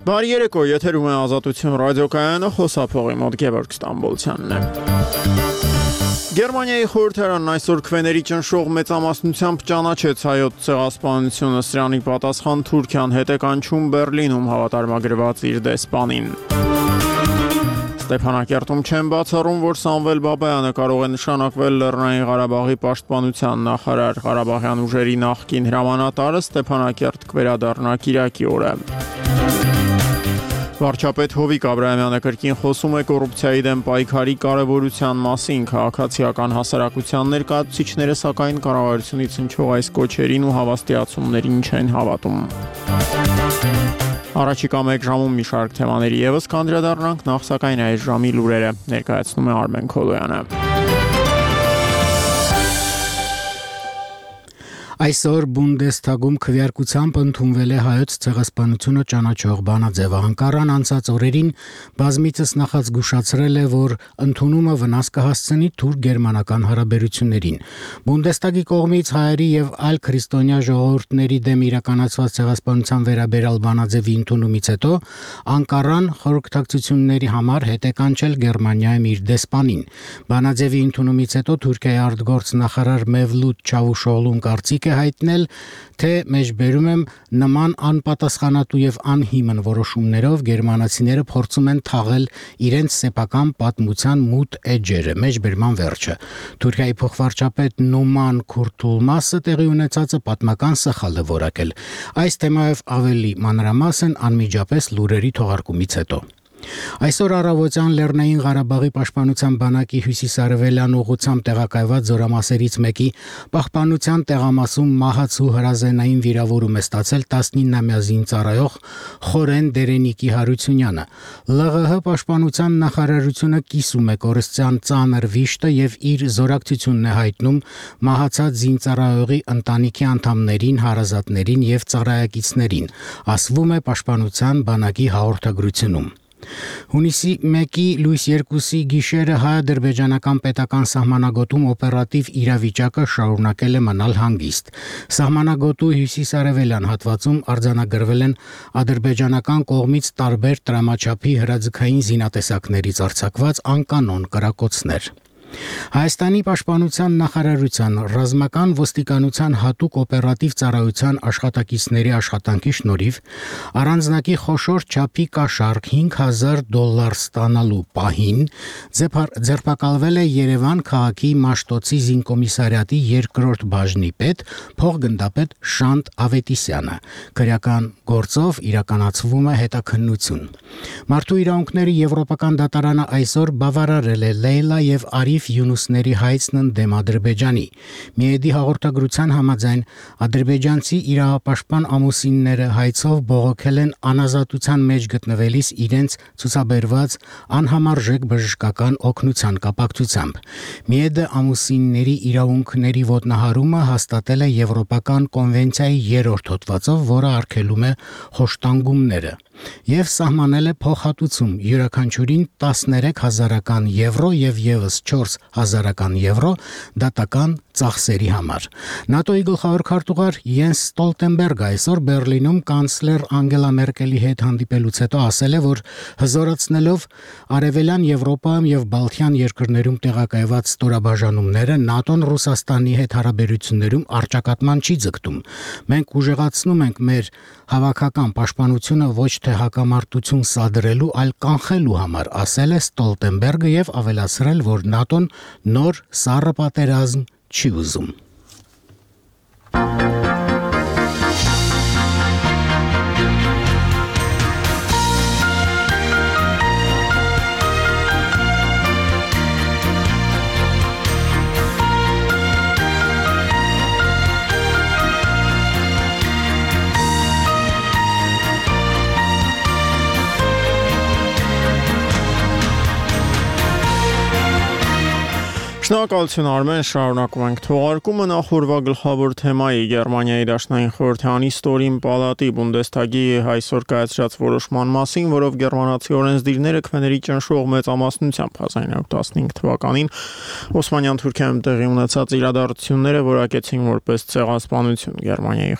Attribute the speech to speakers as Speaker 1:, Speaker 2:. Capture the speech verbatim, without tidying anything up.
Speaker 1: Բարի երեկո, եթերում է Ազատություն ռադիոկայանը, խոսափողի մոտ Գևորգ Ստամբոլցյանն է։ Գերմանիայի խորհրդարանն այսօր քվեների ճնշող մեծամասնությամբ ճանաչեց հայոց ցեղասպանությունը, սրանի պատասխան Թուրքիան հետ է կանչում Բերլինում հավատարմագրված իր դեսպանին։ Ստեփանակերտում չեն բացառում, որ Սամվել Բաբայանը կարող է նշանակվել Լեռնային Ղարաբաղի պաշտպանության նախարար, Ղարաբաղյան ուժերի նախկին հրամանատարը Ստեփանակերտ կվերադառնա Կիրակի օրը։ Վարչապետ Հովիկ Աբրահամյանը կրկին խոսում է կոռուպցիայի դեմ պայքարի կարևորության մասին, քաղաքացիական հասարակության ներկայացուցիչները սակայն կառավարությունից հնչող այս կոչերին ու հավաստիացումներին չեն հավատում։ Առաջիկա մեկ ժամում մի շարք թեմաների ևս կանդրադառնանք, նախ սակայն այս ժամի լուրերը ներկայացնում է Արմեն Քոլոյանը։
Speaker 2: Այսօր Բունդեսթագում քվեարկությամբ ընդունվել է հայոց ցեղասպանությունը ճանաչող բանաձևը։ Անկարան անցած օրերին բազմիցս նախազգուշացրել է, որ ընդունումը վնաս կհասցնի թուրք-գերմանական հարաբերություններին։ Բունդեսթագի կողմից հայերի եւ այլ քրիստոնյա ժողովուրդների դեմ իրականացված ցեղասպանության վերաբերյալ բանաձևի ընդունումից հետո Անկարան խորհրդակցությունների համար հետ է կանչել Գերմանիայում իր դեսպանին։ Բանաձևի ընդունումից հետո Թուրքիայի արտգործ նախարար Մևլութ Չավուշօղլուն կարծիք է հայտնել, թե մեջբերում եմ նման անպատասխանատու եւ անհիմն որոշումներով գերմանացիները փորձում են թաղել իրենց սեփական պատմության մութ էջերը, մեջբերման վերջը։ Թուրքիայի փոխվարչապետ Նուման Քուրթուլմասը տեղի ունեցածը պատմական սխալ է որակել։ Այս թեմայով ավելի մանրամասն անմիջապես լուրերի թողարկումից հետո։ Այսօր առավոտյան Լեռնային Ղարաբաղի պաշտպանության բանակի հյուսիսարևելյան ուղղությամբ տեղակայված զորամասերից մեկի պահպանության տեղամասում մահացու հրազենային վիրավորում է ստացել տասնինամյա զինծառայող Խորեն Դերենիկի Հարությունյանը։ ԼՂՀ պաշտպանության նախարարությունը կիսում է կորստյան ծանր վիշտը եւ իր զորակցությունն է հայտնում մահացած զինծառայողի ընտանիքի անդամներին, հարազատներին եւ ծառայակիցներին, ասվում է պաշտպանության բանակի հաղորդագրությունում։ Հունիսի մեկի լույս երկուսի գիշերը հայ-ադրբեջանական պետական սահմանագոտում օպերատիվ իրավիճակը շարունակել է մնալ հանգիստ։ Սահմանագոտու հյուսիսարևելյան հատվածում արձանագրվել են ադրբեջանական կողմից տարբեր տրամաչափի հրաձգային զինատեսակներից արձակված անկանոն կրակոցներ։ Հայաստանի պաշտպանության նախարարության ռազմական ոստիկանության հատուկ օպերատիվ ծառայության աշխատակիցների աշխատանքի շնորհիվ առանձնակի խոշոր չափի կաշառք հինգ հազար դոլար ստանալու պահին ձերբակալվել է Երևան քաղաքի Մաշտոցի զինկոմիսարիատի երկրորդ բաժնի պետ փոխգնդապետ Շանթ Ավետիսյանը։ Քրեական գործով իրականացվում է հետաքննություն։ Մարդու իրավունքների եվրոպական դատարանը այսօր բավարարել է Լեյլա եւ Արիֆ Յունուսների հայցն ընդդեմ Ադրբեջանի։ Միեդի հաղորդագրության համաձայն ադրբեջանցի իրավապաշտպան ամուսինները հայցով բողոքել են անազատության մեջ գտնվելիս իրենց ցուցաբերված անհամարժեք բժշկական օգնության կապակցությամբ։ Միեդը ամուսինների իրավունքների ոտնահարումը հաստատել է Եվրոպական կոնվենցիայի երրորդ հոդվածով, որը արգելում է խոշտանգումները, եւ սահմանել է փոխհատուցում յուրաքանչյուրին տասներեք հազարական եվրո եւ եւս չորս հազարական եվրո դատական ծախսերի համար։ ՆԱՏՕ-ի գլխավոր քարտուղար Յենս Ստոլտենբերգը այսօր Բերլինում կանցլեր Անգելա Մերկելի հետ հանդիպելուց հետո ասել է, որ հզորացնելով արևելյան Եվրոպայում եւ Բալթյան երկրներում տեղակայված ստորաբաժանումները ՆԱՏՕ-ն Ռուսաստանի հետ հարաբերություններում առճակատման չի ձգտում։ Մենք ուժեղացնում ենք մեր հավաքական պաշտպանությունը ոչ թե հակամարտություն սադրելու, այլ կանխելու համար, ասել է Ստոլտենբերգը եւ ավելացրել, որ ՆԱՏՕ-ն նոր սառը պատերազմ չի ուզում։
Speaker 1: Շնորհակալություն Արմեն, շարունակում ենք թողարկումը նախորդ գլխավոր թեմայի Գերմանիայի Դաշնային խորհրդարանի ստորին պալատի Բունդեսթագի այսօր կայացրած որոշման մասին, որով գերմանացի օրենսդիրները քվեների ճնշող մեծամասնությամբ հազար իննյակ տասնհինգ թվականին Օսմանյան Թուրքիայում տեղի ունեցած իրադարձությունները որակեցին որպես ցեղասպանություն։ Գերմանիայի